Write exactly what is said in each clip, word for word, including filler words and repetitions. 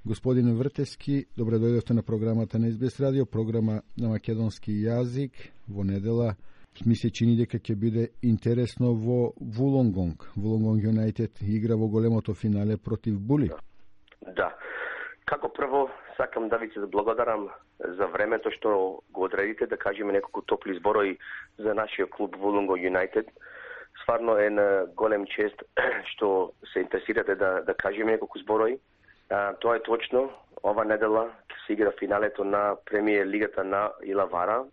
Господине Вртевски, добре дојдовте на програмата на Ес Би Ес Радио, програма на македонски јазик. Во недела ми се чини дека ќе биде интересно во Вулонгонг. Вулонгонг Юнајтед игра во големото финале против Були. Да. Како прво, сакам да ви се благодарам за времето што го одредите да кажеме неколку топли зборови за нашиот клуб Вулонгонг Юнајтед. Стварно е на голем чест што се интересирате да, да кажеме неколку зборови. А, тоа е точно. Ова недела ќе се игра финалето на премиер лигата на Илавара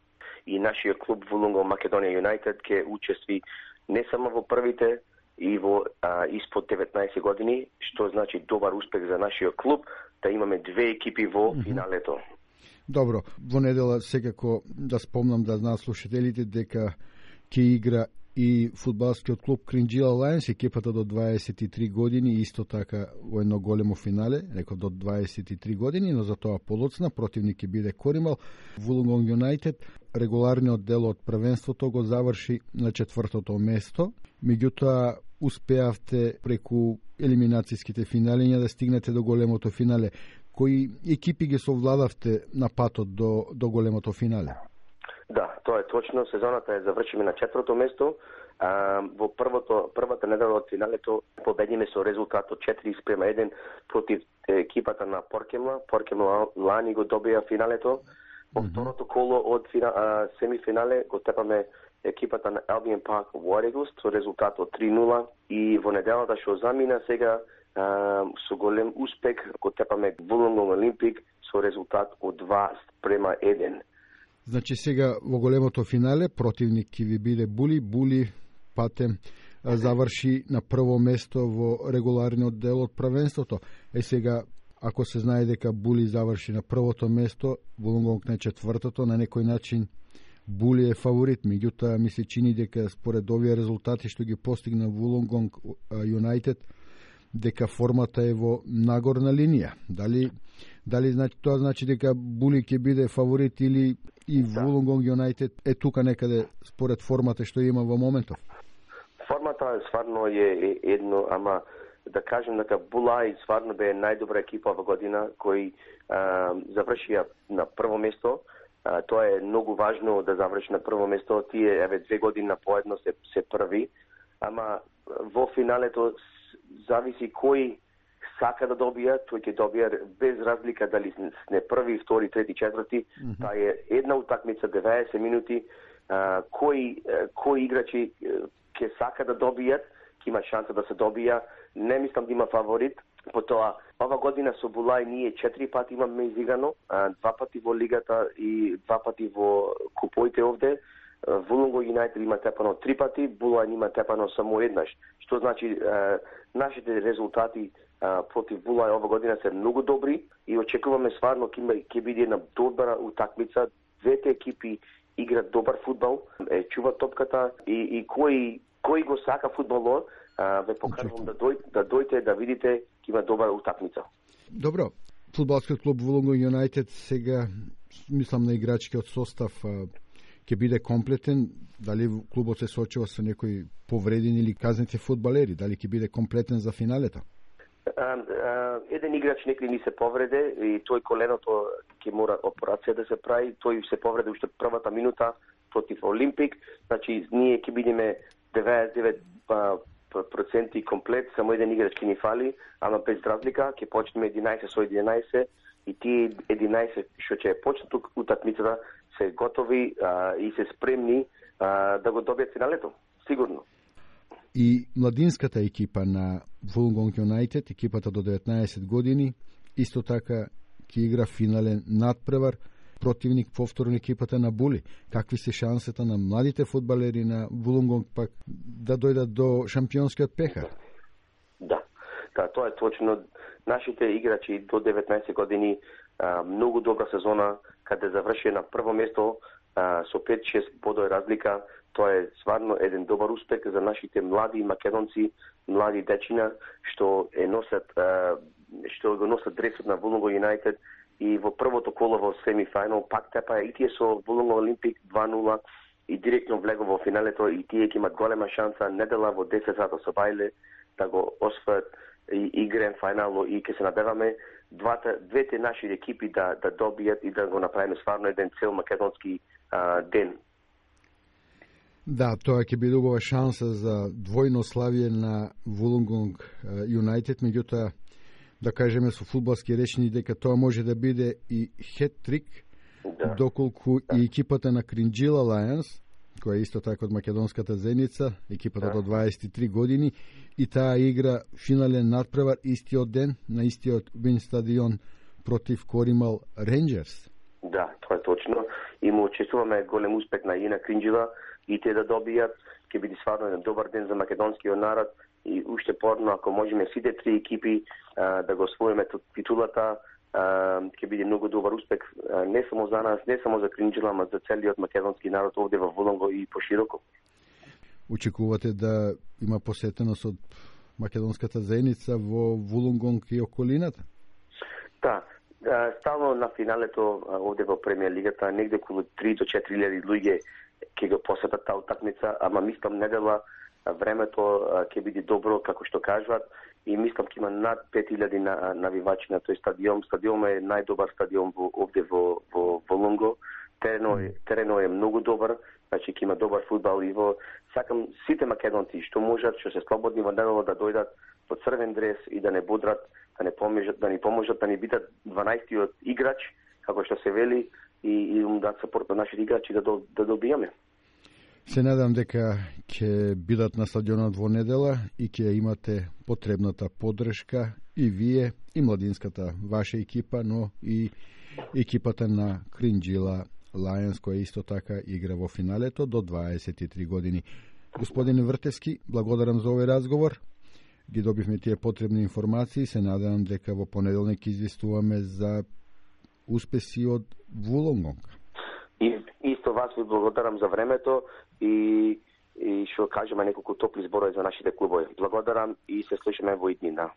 и нашиот клуб Вулонгонг Македонија Юнајтед ќе учестви не само во првите и во а, испод деветнаесет години, што значи добар успех за нашиот клуб, да имаме две екипи во финалето. Добро, во недела секако да спомнам да знаат слушателите дека ќе игра и фудбалскиот клуб Кринџила Лајонс, екипата до дваесет и три години, исто така во едно големо финале, реков до дваесет и три години, но за тоа полоцна, противник ќе биде Коримал. Вулонгонг Юнајтед, регуларниот дел од првенството го заврши на четвртото место, меѓутоа успеавте преку елиминацијските финалиња да стигнете до големото финале. Кои екипи ги совладавте на патот до, до големото финале? Да, тоа е точно. Сезоната е завршиме на четврто место. А, во првото, првата недела од финалето победиме со резултат од четири спрема еден против екипата на Поркемла. Поркемла лани го добија финалето. Во mm-hmm. второто коло од фина, а, семифинале го тепаме екипата на Albion Park War Eagles со резултат од три нула и во неделата што замина сега а, со голем успех го тепаме Вулонгонг Олимпик со резултат од два спрема еден. Значи сега во големото финале противник ќе ви биде Були. Були пате заврши на прво место во регуларниот дел од првенството. Е сега, ако се знае дека Були заврши на првото место, Вулонгонг на четвртото, на некој начин Були е фаворит. Меѓутоа ми се чини дека според овие резултати што ги постигна Вулонгонг Юнајтед, дека формата е во нагорна линија. Дали дали значи тоа значи дека Були ќе биде фаворит или и да. Вулонгонг Юнајтед е тука некаде според формата што има во моментов? Формата стварно е едно, ама да кажем дека Булај стварно бе најдобра екипа во година кој а, завршија на прво место. А, тоа е многу важно да заврши на прво место. Тие еве две години поедно се се први, ама во финалето зависи кој сака да добија, тој ќе добија без разлика дали не први, втори, трети, четврти. Mm-hmm. Таа е една утакмица, деветдесет минути. А, кои кои играчи ќе сака да добијат, ќе има шанса да се добија. Не мислам да има фаворит. Потоа, ова година со Булај ние четири пати имаме изиграно, два пати во лигата и два пати во купоите овде. Вулонгонг Юнајтед има тепано три пати, Булај има тепано само еднаш. Што значи нашите резултати против Булај ова година се многу добри и очекуваме стварно ќе ќе биде една добра утакмица. Двете екипи играат добар фудбал, е чува топката и и кој кој го сака фудбалот, ве покажувам да дојде да дојдете да видите ќе има добра утакмица. Добро. Фудбалскиот клуб Вулонгонг Юнајтед сега мислам на играчкиот состав ќе биде комплетен. Дали клубот се соочува со некои повредени или казнети фудбалери, дали ќе биде комплетен за финалето? Uh, uh, еден играч некој ни се повреде и тој коленото ќе мора операција да се прави. Тој се повреде уште првата минута против Олимпик. Значи ние ќе бидеме деветдесет и девет проценти комплет, само еден играч ќе ни фали, ама без разлика ќе почнеме единаесет со единаесет и тие единаесет што ќе почнат утакмицата се готови а, и се спремни а, да го добијат финалето, сигурно. И младинската екипа на Вулонгонг Юнајтед, екипата до деветнаесет години, исто така ќе игра финален надпревар, противник повторно екипата на Були. Какви се шансите на младите фудбалери на Вулонгонг пак да дојдат до шампионскиот пехар? Да, да, тоа е точно. Нашите играчи до деветнаесет години а, многу добра сезона, каде заврши на прво место а, со пет-шест бодови разлика. Тоа е стварно еден добар успех за нашите млади македонци, млади дечина што е носат а, што го носат дресот на Вулонгонг Юнајтед и во првото коло во семифинал пак тепа и тие со Вулонгонг Олимпик два нула и директно влего во финалето и тие ќе имат голема шанса недела во десет сата со Бајле да го освојат и, и гранд финал и ќе се надеваме двата, двете наши екипи да, да добијат и да го направиме стварно еден цел македонски а, ден. Да, тоа ќе биде убава шанса за двојно славие на Вулонгонг Юнайтед, меѓутоа да кажеме со фудбалски речни дека тоа може да биде и хет-трик, да. Доколку да. И екипата на Кринџила Лајонс, која е исто така од македонската Зеница, екипата да. До дваесет и три години, и таа игра финален надпревар истиот ден на истиот Вин стадион против Коримал Ренџерс. Да, тоа е точно. И му честуваме голем успех на Ина Кринџила и те да добијат. Ќе биде стварно еден добар ден за македонскиот народ и уште порно ако можеме сите три екипи а, да го освоиме титулата, ќе биде многу добар успех не само за нас, не само за Кринџила, ама за целиот македонски народ овде во Вулонго и пошироко. Очекувате да има посетеност од македонската Зеница во Вулонгонг и околината? Да, стално на финалето овде во премиер лигата негде околу три до четири илјади луѓе ќе го посетат таа утакмица, ама мислам недела времето ќе биде добро како што кажуваат и мислам ќе има над пет илјади навивачи на тој стадион. Стадионот е најдобар стадион во, овде во во Вулонго. Теренот е теренот е многу добар, значи ќе има добар фудбал и во сакам сите македонци што можат, што се слободни во недела да дојдат во црвен дрес и да не будрат, да не поможат, да ни поможат да ни бидат дванаесеттиот играч, како што се вели, и и да сапорт на нашите играчи да да добиеме. Се надам дека ќе бидат на стадионот во недела и ќе имате потребната поддршка и вие, и младинската ваша екипа, но и екипата на Кринџила Лајонс, која исто така игра во финалето до дваесет и три години. Господин Вртевски, благодарам за овој разговор. Ги добивме тие потребни информации. Се надевам дека во понеделник известуваме за успеси од Вулонгонг. И исто вас ви благодарам за времето и и што кажеме неколку топли зборови за нашите клубови. Благодарам и се слушаме во иднина.